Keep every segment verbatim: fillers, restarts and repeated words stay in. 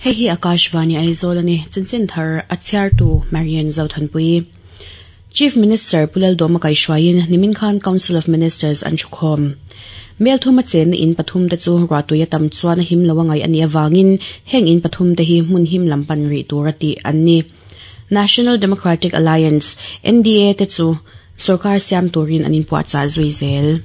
Hei hi Akashvani Aizawl ani chanchin thar a chhiartu Marian Zothanpui. Chief Minister Pu Lalduhoma kaihhruaiin nimin khan Council of Ministers an thukhawm. Mel thuma chenna in pathum te chu ruahtui a tam chuan a him lo a ngaih a nih avangin heng in pathum te hi hmun him lam pan rih tur a tih an ni. National Democratic Alliance, N D A te chu sorkar siam turin an inpuahchah zui zel.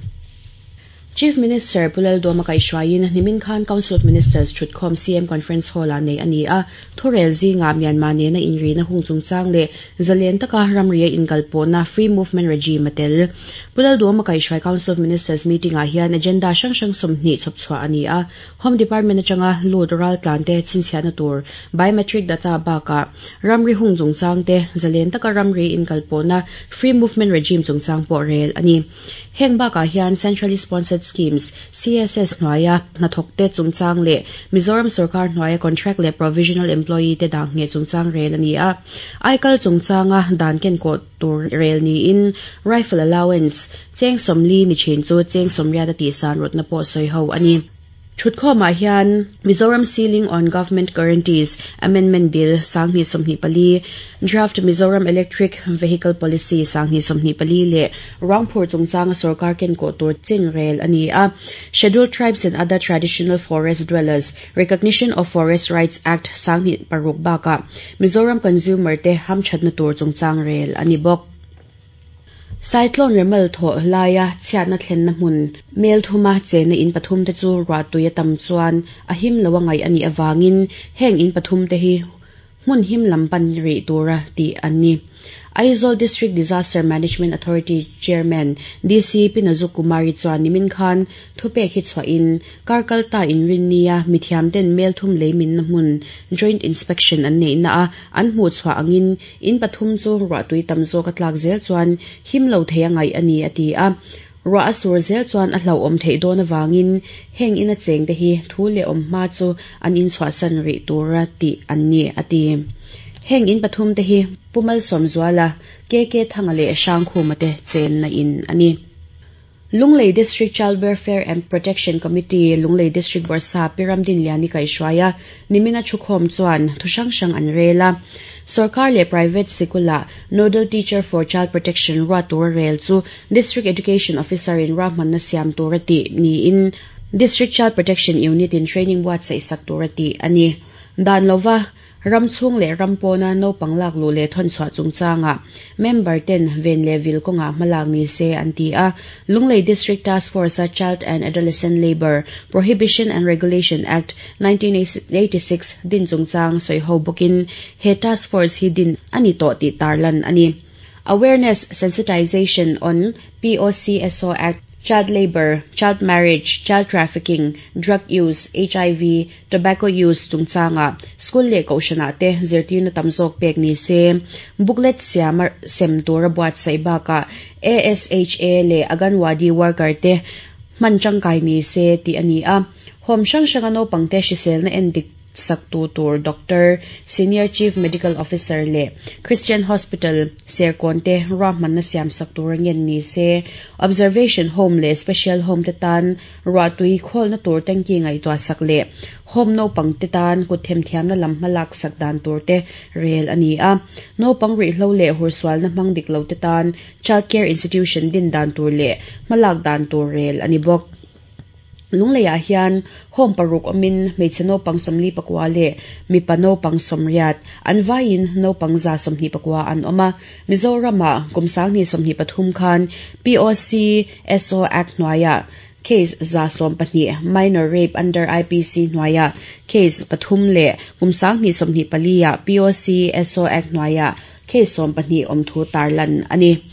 Chief Minister Pu Lalduhoma kaihhruaiin nimin khan Council of Ministers thutkhawm C M Conference Hall-ah nei a ni a. Thurel zingah Myanmar nena inrina hung chungchang leh zalen taka ramria inkalpawhna, free movement regime, a tel. Pu Lalduhoma kaihhruai Council of Ministers meeting-ah hian agenda hrang hrang sawmhnih chhawpchhuah a ni a. Home Department atanga lut ral tlan te chhinchhiahna tur biometric data bakah ramri hung chungchang te, zalen taka ramri inkalpawhna, free movement regime chungchang pawh rel a ni. Heng bakah hian Centrally Sponsored Schemes, C S S hnuaia hnathawk te chungchang leh Mizoram sorkar hnuaia contract leh provisional employee te dah nge chungchang rel a ni a. Aikal chungchanga dan ken kawh tur rel niin rifle allowance cheng sawmli ni thin chu cheng sawmriat a tihsan rawtna pawh sawi ho a ni. Thutkhawmah hian Mizoram Ceiling on Government Guarantees Amendment Bill sanghnih sawmhnih pali, Draft Mizoram Electric Vehicle Policy sanghnih sawmhnih pali leh ruangphur chungchanga sorkar ken kawh tur chin rel a ni a. Scheduled Tribes and Other Traditional Forest Dwellers, Recognition of Forest Rights Act sanghnih paruk bakah Mizoram Consumer te hamthatna tur chungchang rel a ni bawk. Cyclone Remal thaw laia chhiatna thlenna hmun mel thuma chenna in pathum te chu ruahtui a tam chuan a him lo a ngaih a nih awangin heng in pathum te hi hmun him lam pan rih tura tih an ni. Aizawl District Disaster Management Authority Chairman D C Pinazu Kumari chuan nimin khan thupek hi chhuahin karkalta inrinnia mithiam ten mel thum leimin na hmun joint inspection an nei na a an hmuh chhuah angin in pathum chu ruahtui tam zawk a tlak zel chuan him lo thei a ngaih a ni a ti a. Ruah a sur zel chuan a hlauhawm theih dawn awangin heng in a cheng te hi thu leh awm hma chu an in chhuahsan rih tura tih an ni a ti. Heng in pathum te hi Pumal Sawmzuala, K K Thanga leh Hrangkhuma te chenna in ani. Lunglei District Child Welfare and Protection Committee, Lunglei District Bawrhsap Pi Ramdinliani kaihhruaia nimina thukhawm chuan thu hrang hrang an rel a. Sarkar leh private sikula Nodal Teacher for Child Protection ruat tur rel chu District Education Officer in ruahmanna siam tur a tih niin District Child Protection Unit in training buatsaih sak tur a tih a ni. Dan lova ram chhung leh ram pawna naupang lak luh leh thawn chhuah chungchanga member ten ven leh vil kawnga hmalak ni se an ti a. Lunglei District Task Force a Child and Adolescent Labour Prohibition and Regulation Act nineteen eighty-six din chungchang sawi ho bawkin he task force hi din ani tawh tih tarlan ani. Awareness sensitization on POCSO Act, child labor, child marriage, child trafficking, drug use, H I V, tobacco use chungchanga school leh kohhrana te zirtirna tam zawk pek ni se, booklet siam sem tura buatsaih bakah A S H A leh Anganwadi worker te hman tangkai ni se tih a ni a. Home hrang hranga naupang te hriselna endik sak tu tur doctor, Senior Chief Medical Officer leh Christian Hospital Serkawn te ruahmanna siam sak tur ngen ni se, observation home leh special home te tan ruahtui khawlna tur tanki ngaihtuah sak leh home naupang te tan kut themthiamna lam hmalak sak dan tur te rel a ni a. Naupang ruihhlo leh hursualna hmang dik lo te tan child care institution din dan tur leh hmalak dan tur rel a ni bawk. Lungleiah hian home paruk awmin hmeichhe naupang sawmli pakua leh mipa naupang sawmriat an vaiin naupang za sawmhnih pakua an awm a. Mizoramah kum sanghnih sawmhnih pathum khan P O C S O Act hnuaiah case za sawm pahnih, minor rape under I P C hnuaiah case pathum leh kum sanghnih sawmhnih paliah P O C S O Act hnuaiah case sawm pahnih awm thu tarlan a ni.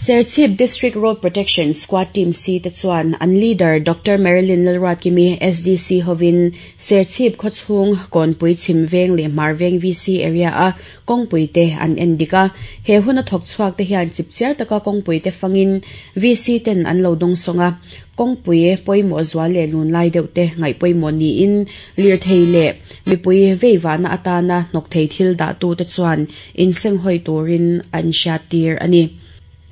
Serchhip District Road Protection Squad Team C te chuan an leader Doctor Marilyn Lalruatkimi S D C hovin Serchhip khawchhung Kawnpui chhim veng leh hmar veng V C area a kawngpui te an en dik a. He hun a thawk chhuak te hian chipchiar taka kawngpui te fangin V C ten an lo dawng sawnga. Kawngpui pawimawh zual leh lun lai deuh te ngaih pawimawh niin lirthei leh mipui veivahna atana hnawk thei thil dah tu te chuan insenghawi turin an hriat tir a ni.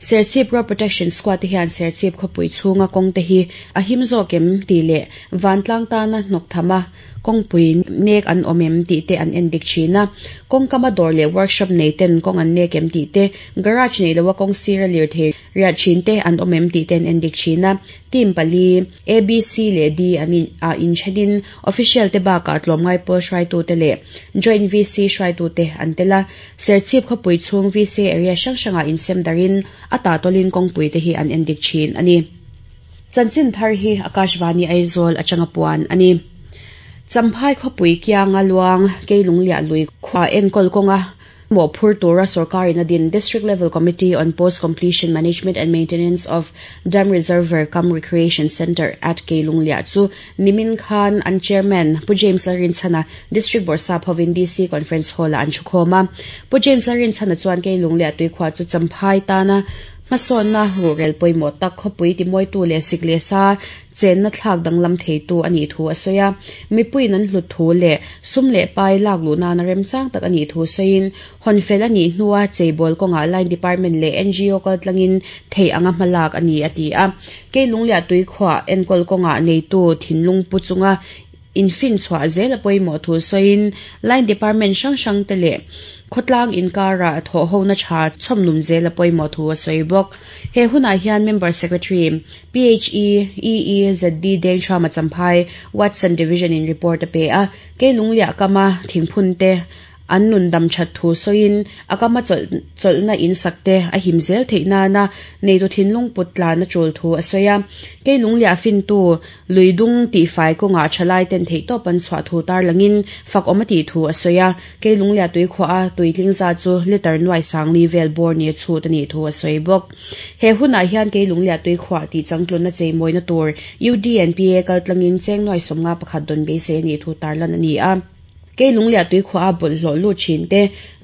Serchhip Road Protection Squad te hian Serchhip khawpui chhunga kawng te hi a him zawk em tih leh vantlang tana hnawk thama kawngpui nek an awm em tih te an en dik thin a kawng kama dawr leh workshop nei ten kawng an nek em tih te garage nei loa kawng sira lirthei riah thin te an awm em tih te an en dik thin a team pali A B C leh D an in ah inthenin official te bakah tlawmngai pawl hruaitu te leh joint V C hruaitu te an tel a serchhip khawpui chhung V C area hrang hrangah insem darin a tah tawlin kawngpui te hi an en dik thin ani chanchin thar hi Akashvani Aizawl atanga puan ani Champhai khawpui kianga luang keilung liah lui khua enkawl kawnga mo phur tura sarkarin a din District Level Committee on Post Completion Management and Maintenance of Dam Reservoir cum Recreation Center at Keilunglia chu nimin khan an chairman Pu James Lalrinchhana District Bawrhsap hovin D C Conference Hall an thukhawm a Pu James Lalrinchhana chuan Keilunglia tuikhua chu Champhai tana hmasawnna rurel pawimawh tak khawpui timawitu leh sik leh sa chenna thlak danglam theitu ani thu a sawi a mipuiin an hlut thu leh sum leh pai lak luh nana remchang tak ani thu sawiin hawnfel ani hnua cheibawl kawngah line department leh N G O kal tlangin thei anga hmalak ani a ti a Keilunglia tuikhuah enkawl kawngah neitu thinlung pu chunga infin chhuah zel a pawimawh thu sawiin line department hrang hrang te leh khawtlang inkara thaw ho na tha chhawmnum zel a pawimawh thu a sawi bawk he hunah hian member secretary P H E E E Z D Dengthama Champhai Watson Division in report a pe a Keilunglia kama thingphun te an nun dam that thu sawiin a kama chawlhna in sakte a him zel theih nana neitu thinlung put tlan a tul thu a sawi a Keilunglia fintu luidung tihfai kawngah thalai ten theih tawp an chhuah thu tar langin fak awm a tih thu a sawi a Keilunglia tuikhuah a tuitling za chu liter nuai sangli vel bawr ni chhut ani thu a sawi bawk he hunah hian Keilunglia tuikhuah tih changtlunna cheimawina tur U D N P A kal tlangin cheng nuai sawmnga pakhat dawn beisei ani thu tarlan ani a Keilunglia tuikhuah a bawlhhlawh lut thin te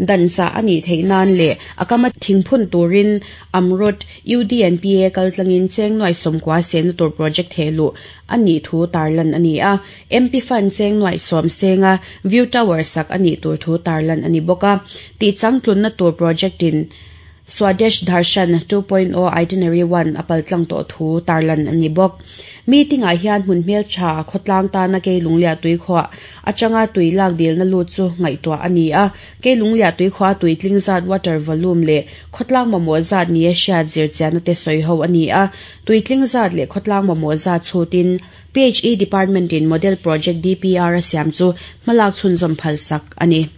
dansa ani theih nan leh a kama thingphun turin Amrut U D N P A kal tlangin cheng nuai sawmkua sena tur project helu ani thu tarlan ani a M P Fund cheng nuai sawm senga view tower sak ani tur thu tarlan ani bawk a tih changtlunna tur project in Swadesh Darshan two point oh Itinerary one apal tlang to thu tarlan ani bawk meeting ah hian hmun hmel tha khawtlang tana Keilunglia tuikhuah atanga tui lak dilna lut chu ngaihtuah ani a Keilunglia tuikhuah tuitling zat water volume leh khawtlang mamawh zat ni a hriat zir chianna te sawi ho ani a tuitling zat leh khawtlang mamawh zat chhutin P H E Department in Model Project D P R a siam chu hmalak chhunzawm phal sak ani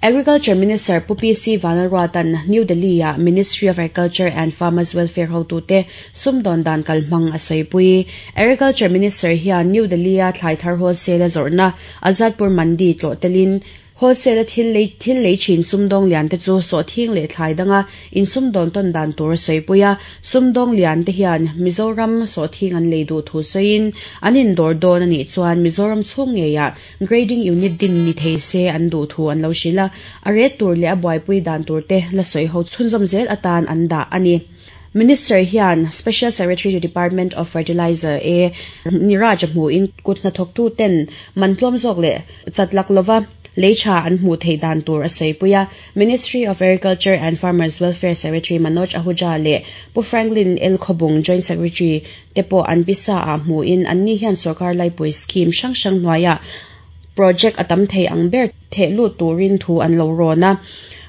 Agriculture Minister Pu P C Vanlalruatan New Delhi a Ministry of Agriculture and Farmers Welfare hotu te sumdawn dan kalhmang a sawipui Agriculture Minister hian New Delhi a thlai thar wholesale a zawrhna Azadpur Mandi tlawh telin wholesale a thil lei thil lei thin sumdawng lian te chu sawhthing leh thlai danga in sumdawn tawn dan tur a sawipui a sumdawng lian te hian Mizoram sawhthing an lei duh thu sawiin an indawr dawn anih chuan Mizoram chhung ngeiah grading unit din ni thei se an duh thu an lo hrilh a a ret tur leh a buaipui dan tur te la sawi ho chhunzawm zel atan an dah ani Minister hian Special Secretary to Department of Fertilizer A Niraj hmu in kutna thawktu ten mantlawm zawk leh chatlak lova leicha an hmu thei dan tur a sawipuia Ministry of Agriculture and Farmers Welfare Secretary Manoj Ahuja leh Pu Franklin L Khobung Joint Secretary te pawh an pisa a hmu in anni hian sarkar laipui scheme hrang hrang hnuaiah project atam thei ang ber theh lut turin thu an lo rawn a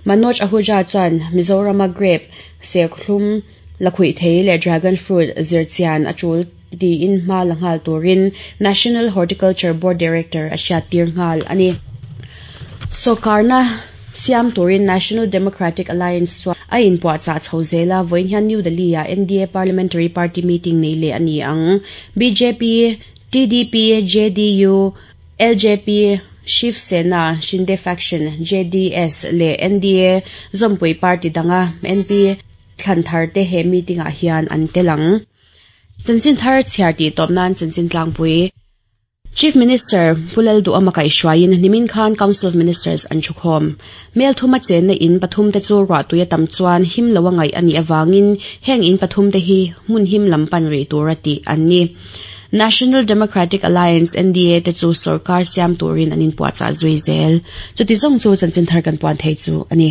Manoj Ahuja chuan Mizorama grape serthlum lakhuih thei leh dragon fruit zirchian a tul tiin hma la nghal turin National Horticulture Board Director a hriat tir nghal ani Sokarna siam turin National Democratic Alliance chuan a inpuahchah chho zela vawiin hian New Delhi a N D A Parliamentary Party meeting nei leh ani ang B J P T D P J D U L J P Shiv Sena Shinde Faction J D S leh N D A Zawmpui Party danga N P thlan thar te he meeting ah hian an telang chanchin thar chhiar tih tawp nan chanchin tlangpui Chief Minister Pu Lalduhoma kaihhruaiin nimin khan Council of Ministers an thukhawm mel thuma chenna in pathum te chu ruah tui a tam chuan him lo a ngaih ani awangin heng in pathum te hi hmun him lam pan rih tur a tih an ni National Democratic Alliance N D A te chu sarkar siam turin an inpuahchah zui zel chuti zawng chu chanchin thar kan puan thei chu ani.